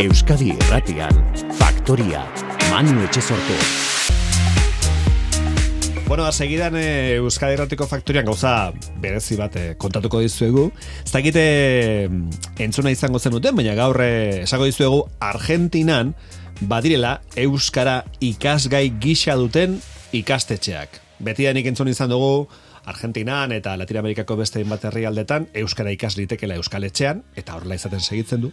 Euskadi Irratian, Faktoria, Manu Etxezortu. Bueno, segidan Euskadi Irratiko Faktorian gauza berezi bat kontatuko dizuegu. Ez dakite entzuna izango zenuten, baina gaur esango dizuegu Argentinan badirela euskara ikasgai gisa duten ikastetxeak. Betidanik entzun izan dugu Argentinan eta Latinoamerikako beste hainbat herrialdetan euskara ikas litekela euskaletxean, eta horrela izaten segitzen du.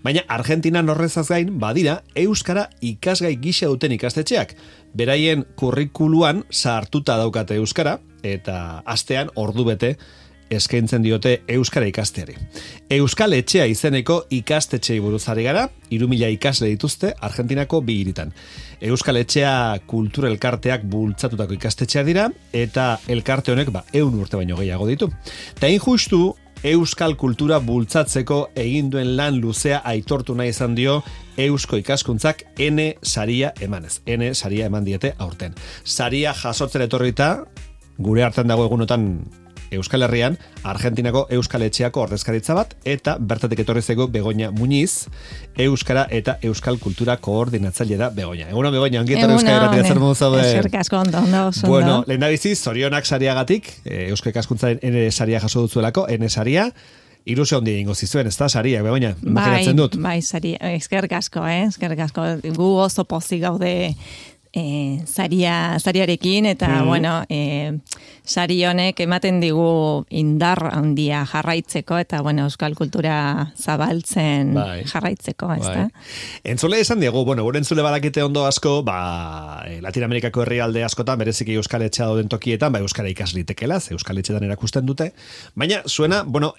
Baina Argentinan horrezaz gain badira euskara ikasgai gisa duten ikastetxeak. Beraien kurrikuluan sartuta daukate euskara, eta astean ordu bete eskaintzen diote euskara ikasteari. Euskal Etxea izeneko ikastetxei buruz ari gara, 3.000 ikasle dituzte Argentinako 2 hiritan. Euskal Etxea kultura elkarteak bultzatutako ikastetxea dira, eta elkarte honek 100 urte baino gehiago ditu. Ta injustu, euskal kultura bultzatzeko egin duen lan luzea aitortu nahi izan dio Eusko Ikaskuntzak N saria emanez. N saria eman diete aurten. Saria jasotzen etorrita, gure hartan dago egunotan Euskal Herrian, Argentinako Euskal Etxeako ordezkaritza bat, eta bertatik etorri zaigu Begoña Muñiz, Euskara eta Euskal Kultura koordinatzaile da Begoña. Egunon Begoña, ongietara Euskal Herratia zer modu zaude? Eskerrik asko, ondo. Bueno, lehendabizi, zorionak sariagatik, Eusko Ikaskuntzaren N saria jaso dutzuelako, N saria, ilusio handi ingo zizuen, ez da, saria, Begoña, makinatzen dut. Bai, saria, eskerrik asko, eskerrik asko, gu oso pozik gaude sariarekin, eta bueno, sari honek ematen digu indar handia jarraitzeko, eta bueno, euskal kultura zabaltzen jarraitzeko, ez da? Entzule esan diegu, bueno, gure entzule badakite ondo asko, Latinoamerikako herrialde askotan, bereziki euskal etxea dauden tokietan, euskara ikaslitekela, euskal etxetan erakusten dute, baina zuena, bueno,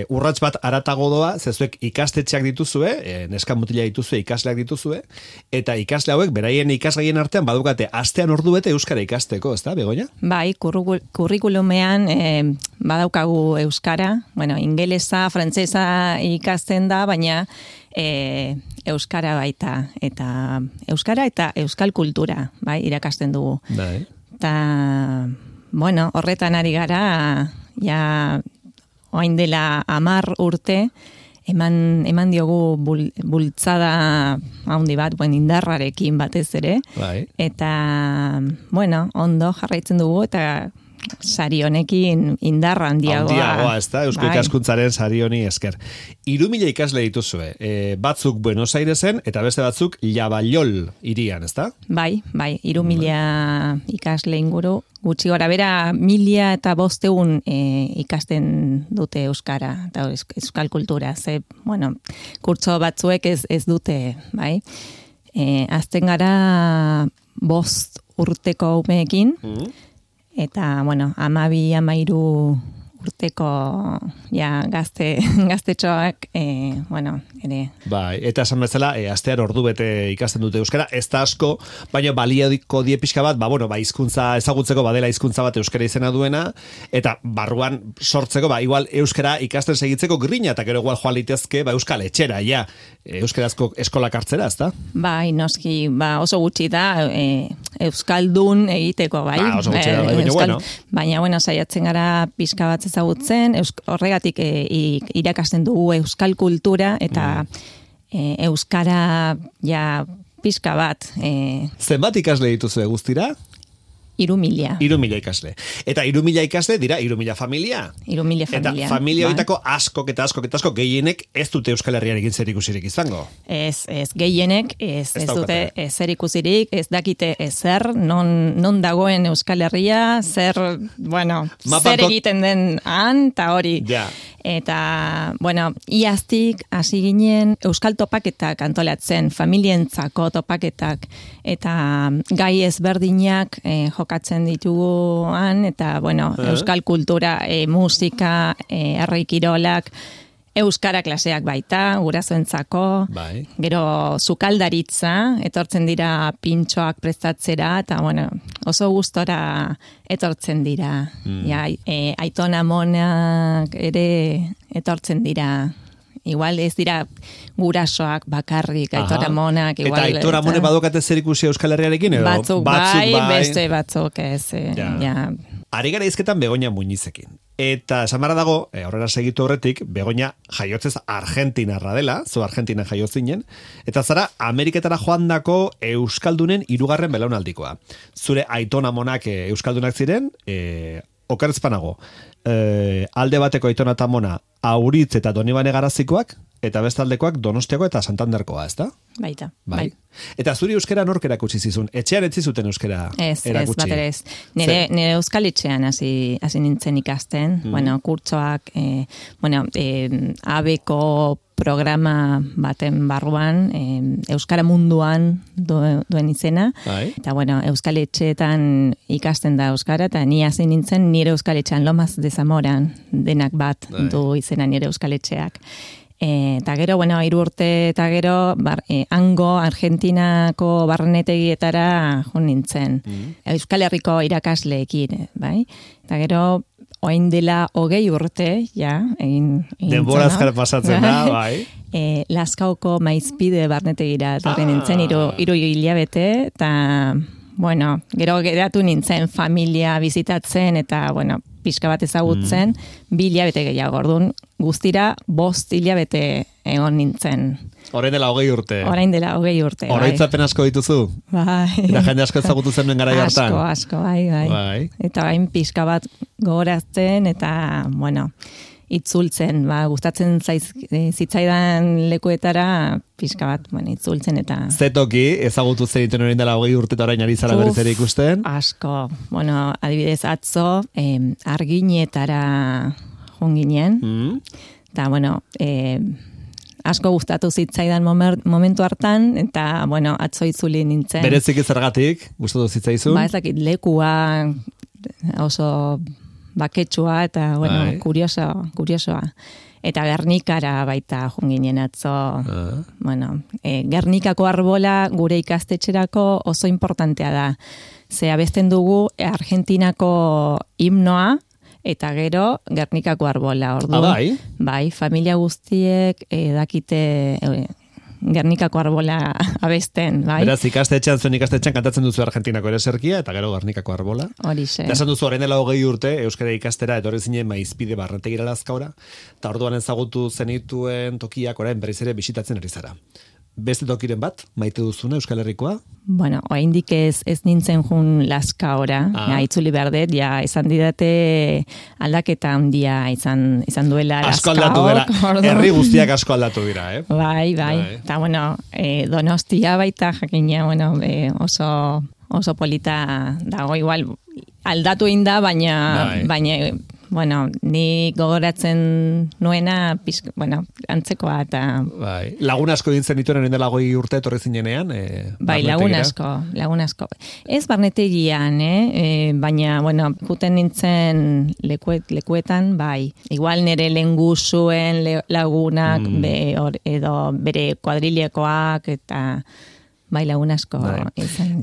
urrats bat aratago doa, zezuek ikastetxeak dituzue, neska mutila dituzue, ikasleak dituzue, eta ikasle hauek, beraien ikasgaien artean badukate astean ordu bete euskara ikasteko, ez da, Begoña? Bai, kurrikulumean badaukagu euskara, bueno, ingelesa, frantsesa ikasten da, baina euskara baita, eta euskara eta euskal kultura, bai, irakasten dugu. Bai. Eta, bueno, horretan ari gara, ja, oain dela 10 urte, eman diogu bultzada handi bat, indarrarekin batez ere. Bai. Eta, bueno, ondo jarraitzen dugu, eta sari honekin indarra handiagoa. Handiagoa, ez da, Eusko Ikaskuntzaren sari honi esker. 3.000 ikasle dituzue, batzuk Buenos Airesen, eta beste batzuk Lavallol hirian, ez da? Bai, 3.000 ikasle inguru, gutxi gora bera 1.500 ikasten dute euskara, eta euskal kultura, ze, bueno, kurtso batzuek ez dute, bai? Azten gara 5 urteko umeekin, eta, bueno, 12-13 urteko gaztetxoak, bueno, ere. Bai, eta esan bezala, astean ordu bete ikasten dute euskara, ez da asko, baina baliadiko die pixka bat, hizkuntza ezagutzeko badela hizkuntza bat euskara izena duena, eta barruan sortzeko, igual euskara ikasten segitzeko grina, eta gero igual joan litezke, euskal etxera, euskarazko eskolak hartzera, ez da? Bai, noski, oso gutxi da, euskaldun egiteko, bai. Oso gutxi da, baina bueno. Baina, bueno, saiatzen gara pixka bat ezagutzen, horregatik irakasten dugu euskal kultura, eta euskara pixka bat. Zenbat ikasle dituzu guztira? 3.000. 3.000 ikasle. Eta 3.000 ikasle dira 3.000 familia. 3.000 familia. Eta familia horietako askok gehienek ez dute Euskal Herriarekin zerikusirik izango. Ez gehienek ez dute zerikusirik, ez dakite ezer, non dagoen Euskal Herria, zer egiten den han, eta hori. Ja. Eta, bueno, iaztik hasi ginen euskal topaketak antolatzen, familientzako topaketak, eta gai ezberdinak jokatzen dituguan, eta, bueno, euskal kultura, musika, herri kirolak, euskara klaseak baita, gurasoentzako, gero sukaldaritza, etortzen dira pintxoak prestatzera, eta, bueno, oso gustora etortzen dira. Aitona monak ere etortzen dira. Igual ez dira gurasoak bakarrik, aitona monak. Eta aitona monek badokate zer ikusi Euskal Herriarekin? Batzuk bai, beste batzuk ez. Ari gara izketan Begoña Muñizekin. Eta esan barra dago, aurrera segitu horretik, Begoña jaiotzez argentinarra dela, zu Argentina jaiotzinen, eta zara Ameriketara joandako euskaldunen 3. belaunaldikoa. Zure aitona monak euskaldunak ziren, okerrezpanago, alde bateko aitona eta mona Auritz eta Donibane Garazikoak, eta bestaldekoak Donostiako eta Santanderkoa, ez da? Baita. Bai. Eta zuri euskera nork erakutsi zizun? Etxean ez zizuten euskera erakutsi? Ez, bat ere ez. Nire euskal etxean hasi nintzen ikasten, kurtsoak, abeko programa baten barruan, euskara munduan duen izena, eta euskal etxeetan ikasten da euskara, eta ni hasi nintzen nire euskal etxean, Lomas de Zamoran, denak bat du izena nire euskal etxeak. Eta gero, 3 urte eta gero, hango Argentinako barnetegietara jo nintzen. Euskal Herriko irakasleekin, bai? Eta gero, orain dela 20 urte, ja, egin denbora azkar pasatzen da, bai. Lazkaoko Maizpide barnetegira etorri nintzen, 3 hilabete, eta, gero geratu nintzen familia bizitatzen, eta, pixka bat ezagutzen, 2 hilabete gehiago, orduan guztira 5 hilabete egon nintzen. Orain dela 20 urte. Orain dela 20 urte, bai. Oroitzapen asko dituzu? Bai. Eta jende asko ezagutu zen garai hartan? Asko, bai. Eta bain pixka bat gogorazten, eta, itzultzen, gustatzen zitzaidan lekuetara pixka bat, itzultzen eta... Zetoki, ezagutu zeiten orain dela 20 urte eta orain ari zara berriz ere ikusten? Asko, adibidez atzo, Arginetara jonginen, eta, asko gustatu zitzaidan momentu hartan, eta, atzo itzuli nintzen. Berezik zergatik, gustatu zitzaizun? Ez dakit, lekua oso baketsua eta, kuriosoa. Eta Gernikara baita junginen atzo. Gernikako arbola gure ikastetxerako oso importantea da. Ze abesten dugu Argentinako himnoa, eta gero Gernikako arbola. Orduan, bai, familia guztiek dakite Gernikako arbola abesten, bai. Beraz, zuen ikastetxean kantatzen duzu Argentinako ereserkia, eta gero Gernikako arbola. Horixe. Eta esan duzu, orain dela 20 urte, euskara ikastera, etorri zinen Maizpide barnetegira Lazkaora, eta orduan ezagutu zenituen tokiak orain berriz ere bisitatzen ari zara. Beste tokiren bat, maite duzuna Euskal Herrikoa? Oraindik ez nintzen jun Lazkaora, itzuli behar dut, esan didate aldaketa handia izan duela Lazkaok. Asko aldatu dela, herri guztiak asko aldatu dira, Bai. Eta, Donostia baita jakina, oso polita dago, igual aldatu egin da, baina ni gogoratzen nuena, antzekoa eta... Bai, lagun asko dintzen dituen dela 20 urte etorri zinenean? Bai, lagun asko. Ez barnetegian, baina, juten nintzen lekuetan, bai. Igual nire lengusuen lagunak, edo bere kuadrilekoak, eta... Bai, lagun asko.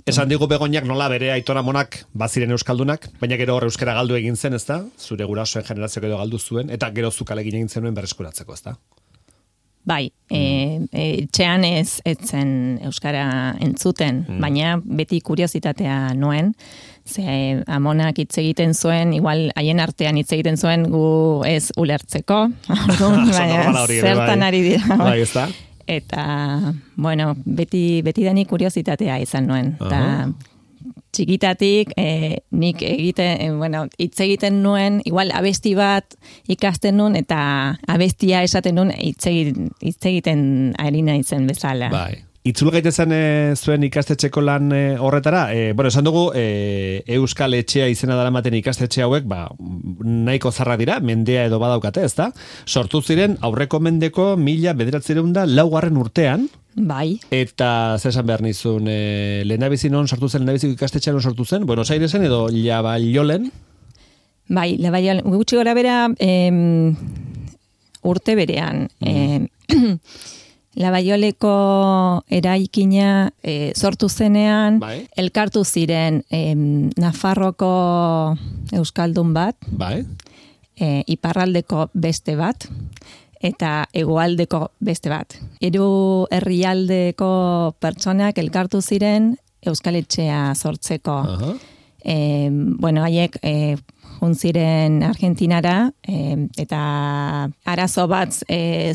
Esan digu Begoñak nola bere aitona monak baziren euskaldunak, baina gero euskara galdu egin zen, ezta? Zure gurasoen generazioak edo galdu zuen, eta gero zukalegin egin zenuen berreskuratzeko, ezta? Bai, etxean ez zen euskara entzuten, baina beti kuriositatea nuen, ze amonak hitz egiten zuen, igual haien artean hitz egiten zuen gu ez ulertzeko, zertan ari dira. Bai, ezta? Eta, beti dani kuriositatea izan nuen. Eta txikitatik nik hitz egiten nuen, igual abesti bat ikasten nuen, eta abestia esaten nuen hitz egiten ari naizen bezala. Bai. Itzul gaitezen zuen ikastetxeko lan horretara, esan dugu, Euskal Etxea izena daramaten ikastetxe hauek, nahiko zarra dira, mendea edo badaukate, ezta? Sortu ziren aurreko mendeko 1904 urtean. Bai. Eta zesan behar nizun, lehendabizi non sortu zen, lehendabiziko ikastetxean sortu zen, Buenos Airesen edo Labaiolen? Bai, Labaiolen, gutxi gora bera urte berean. Labaioleko eraikina sortu zenean, elkartu ziren Nafarroko euskaldun bat, iparraldeko beste bat, eta hegoaldeko beste bat. 3 herrialdeko pertsonak elkartu ziren Euskal Etxea sortzeko. Haiek juntziren Argentinara, eta arazo bat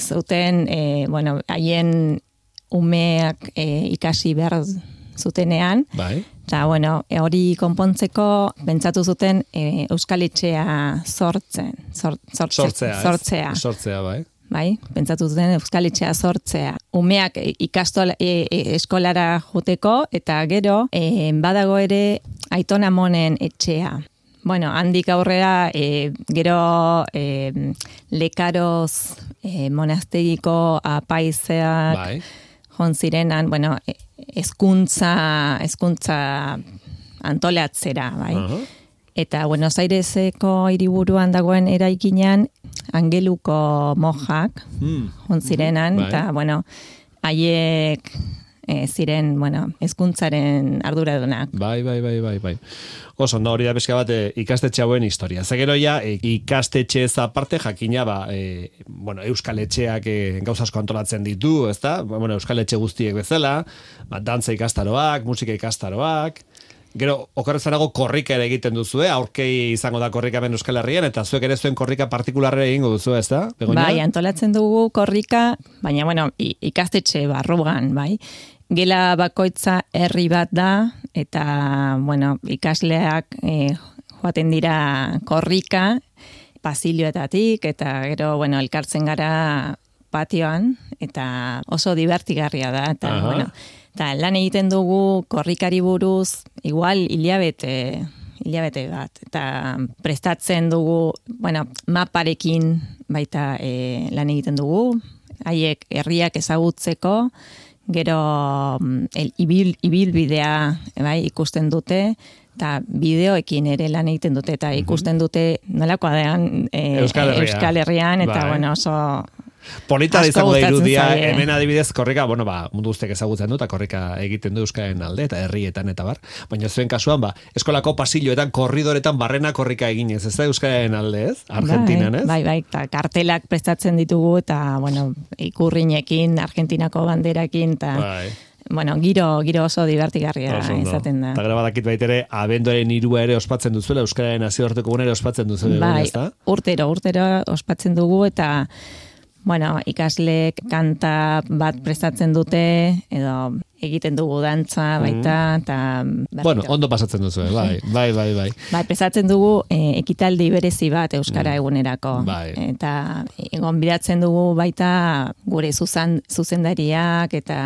zuten, haien umeak ikasi behar zutenean, bai. Eta, hori konpontzeko pentsatu zuten Euskal Etxea sortzea, bai. Bai, pentsatu zuten Euskal Etxea sortzea. Umeak eskolara joteko, eta gero, badago ere Aiton Amonen etxea. Handik aurrera, gero Lekaroz monastegiko apaizeak bai. Jontzirenan, hezkuntza antolatzera, bai. Eta Buenos Aireseko hiriburuan dagoen eraikinean Angeluko mojak jontzirenan, bai. eta haiek ziren, hezkuntzaren arduradunak. Bai. Oso, hori da pixka bat ikastetxe hauen historia. Zegero ja, ikastetxe ez aparte jakina, Euskal Etxeak gauza asko antolatzen ditu, ezta? Euskal Etxe guztiek bezala, dantza ikastaroak, musika ikastaroak, gero, okerrezanago korrika ere egiten duzue, aurkei izango da korrika ben Euskal Herrian, eta zuek ere zuen korrika partikularre egingo duzu, ezta? Begoña? Bai, antolatzen dugu korrika, baina, ikastetxe barruan, bai. Gela bakoitza herri bat da, eta, ikasleak joaten dira korrika, pasilloetatik, eta gero, elkartzen gara patioan, eta oso divertigarria da, eta, eta lan egiten dugu korrikari buruz, igual hilabete bat, eta prestatzen dugu, maparekin baita lan egiten dugu, haiek herriak ezagutzeko, gero ibilbidea ikusten dute, eta bideoekin ere lan egiten dute, eta ikusten dute nolakoa dean Euskal Herrian, eta oso polita izango da irudia, hemen adibidez korrika, mundu guztiak ezagutzen du, eta korrika egiten du Euskaren alde, eta herrietan, eta bar. Baina zuen kasuan, eskolako pasilloetan, korridoretan, barrena korrika eginez, ez da Euskaren alde, ez? Argentinan, ez? Bai, eta kartelak prestatzen ditugu, eta, ikurrinekin, Argentinako banderakin, eta giro oso divertigarria izaten da. Eta gara badakit baitere, abenduaren 3 ere ospatzen duzuela, Euskararen nazioarteko gunera ospatzen duzuela, ez da? Urtero ospatzen dugu, eta ikasleek kanta bat prestatzen dute, edo egiten dugu dantza baita, eta... ondo pasatzen duzu, bai. Bai, prestatzen dugu ekitaldi berezi bat Euskara egunerako. Bai. Eta gonbidatzen dugu baita gure zuzendariak, eta,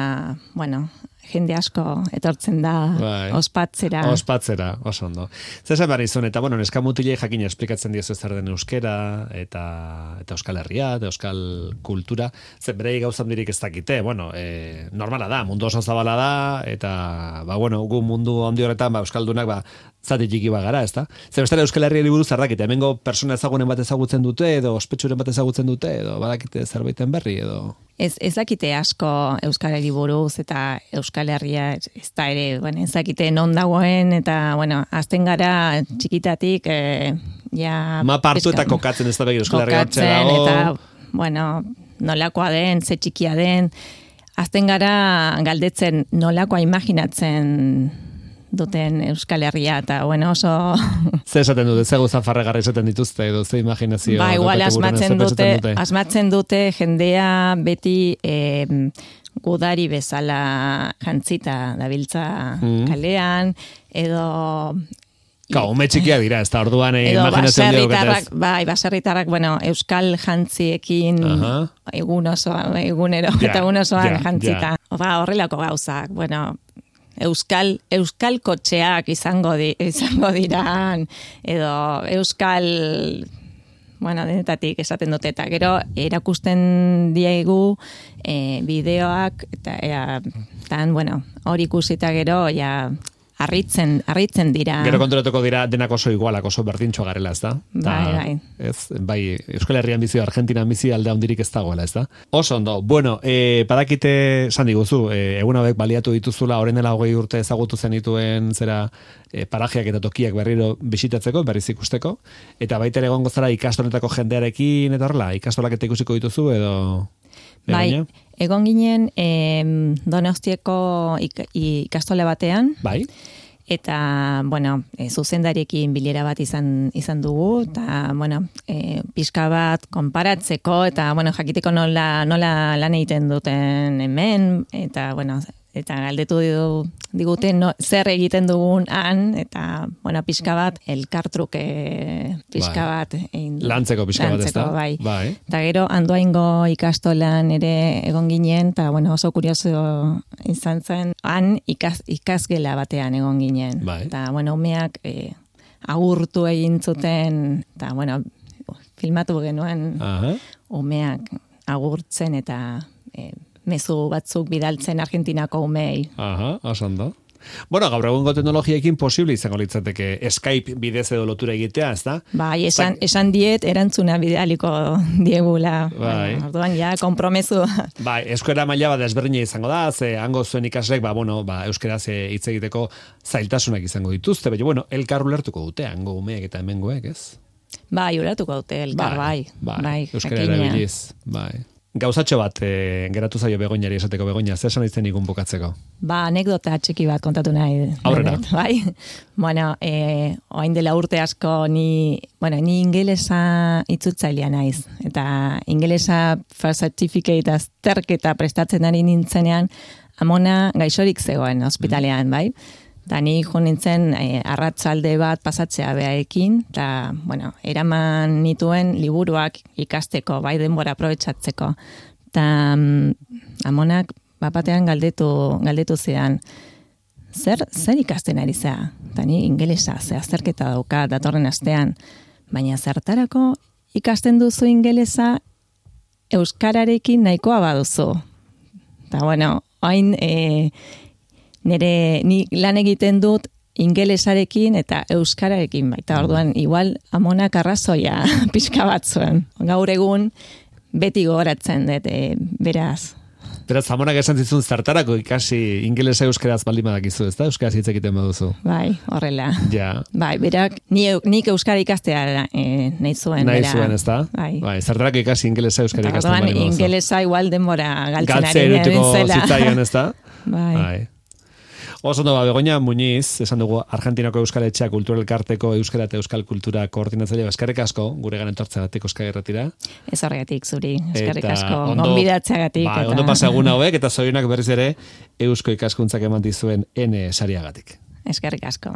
jende asko etortzen da ospatzera. Ospatzera, oso ondo. Zesan behar izan, eta neska mutilei jakin esplikatzen diezu ez den euskera, eta Euskal Herria, eta Euskal kultura, zen berei gauzan dirik ez dakite, normala da, mundu oso zabala da, eta, gu mundu handi horretan, Euskaldunak, zati txiki bagara, ez da? Zer bestera Euskal Herriari buruz zardakite, hemengo persona ezagunen bat ezagutzen dute, edo ospetsuren bat ezagutzen dute, edo badakite zerbaiten berri, edo... Ez dakite asko Euskarari buruz, eta Euskal Herria ez da ere, ez dakite non dagoen, eta, azten gara txikitatik, mapa hartu eta kokatzen ez da begi Euskal Herria hartze dago. Eta, nolakoa den, ze txikia den, azten gara galdetzen nolakoa imaginatzen duten Euskal Herria, eta oso... Ze esaten dute, ze gauza farregarra esaten dituzte, edo ze imaginazio... Igual asmatzen dute jendea beti gudari bezala jantzita dabiltza kalean, edo... Ume txikia dira, ez da orduan imaginazio baserritarrak, baserritarrak, euskal jantziekin egunero, eta egun osoan jantzita. Horrelako gauzak, euskal kotxeak izango diraan, edo euskal, denetatik esaten dute, eta gero erakusten diegu bideoak, eta hori ikusita gero, harritzen dira. Gero konturatuko dira denak oso igualak, oso berdintxo garela, ez da? Bai. Bai, Euskal Herrian bizi, Argentinan bizi alde handirik ez dagoela, ez da? Oso ondo, badakite, esan diguzu, egun hauek baliatu dituzula, orain dela 20 urte ezagutu zenituen zera parajeak eta tokiak berriro bisitatzeko, berriz ikusteko, eta baita ere egongo zara ikastoletako jendearekin, eta horrela, ikastolak eta ikusiko dituzu, edo... Bai, egon ginen Donostiako ikastole batean. Bai. Eta, bueno, zuzendariekin bilera bat izan dugu, eta, bueno, pixka bat konparatzeko, eta, bueno, jakiteko nola lan egiten duten hemen, eta, bueno, eta galdetu digute zer egiten dugun han, eta, bueno, pixka bat, elkartruke pixka bat. Lantzeko pixka bat, ez da? Bai. Eta gero, Andoaingo ikastolan ere egon ginen, eta, bueno, oso kurioso izan zen, han ikasgela batean egon ginen. Eta, bueno, umeak agurtu egin zuten, eta, bueno, filmatu genuen umeak agurtzen, eta mezu batzuk bidaltzen Argentinako umei. Oso ondo. Bueno, gaur egungo teknologiekin posible izango litzateke Skype bidez edo lotura egitea, ez da? Bai, esan diet erantzuna bidaliko diegula. Orduan, ja, kompromezu. Bai, euskara maila bat desberdina izango da, ze hango zuen ikaslek, euskaraz hitz egiteko zailtasunak izango dituzte, baina, bueno, elkar ulertuko dute, hango umeek eta hemengoek, ez? Bai, ulertuko dute, elkar, bai. Euskara erabiliz, bai. Gauzatxo bat geratu zaio Begoñari esateko. Begoña, zer esan izten ikun bukatzeko? Anekdota txiki bat kontatu nahi. Aurrera. Bai? Bueno, oain dela urte asko ni ingelesa itzultzailea naiz. Eta ingelesa first certificate azterketa prestatzen ari nintzenean, amona gaixorik zegoen ospitalean, bai? Da ni jo nintzen arratsalde bat pasatzea beaekin, eta, bueno, eraman nituen liburuak ikasteko, bai denbora aprobetxatzeko. Eta amonak bapatean galdetu zidan, zer ikasten ari zea? Eta ni ingelesa, ze azterketa dauka datorren astean, baina zertarako ikasten duzu ingelesa euskararekin nahikoa baduzu. Eta, bueno, hain ni lan egiten dut ingelesarekin eta euskararekin baita. Orduan, igual amonak arrazoia pixka bat zuen. Gaur egun beti gogoratzen dut, beraz. Beraz, amonak esan zizun zertarako ikasi ingelesa euskaraz baldin badakizu, ez da? Euskaraz hitz egiten baduzu. Bai, horrela. Ja. Bai, berak, nik euskara ikastea nahi zuen. Nahi zuen, ez da? Bai, zertarako ikasi ingelesa euskara ikasten baldin baduzu. Orduan, ingelesa igual denbora galtzen ari erutuko zitzaion, ez da? Bai. Oso ondo, Begoña Muñiz, esan dugu Argentinako Euskal Etxea Kultura Elkarteko Euskara eta Euskal Kultura koordinatzaile, eskerrik asko, gure garen tortzeagatik Euskal Herratira. Ez horregatik zuri, eskerrik asko, gonbidatzeagatik. Bai, ondo pasa eguna hauek, eta zorionak berriz ere Eusko ikaskuntzak eman dizuen N sariagatik. Eskerrik asko.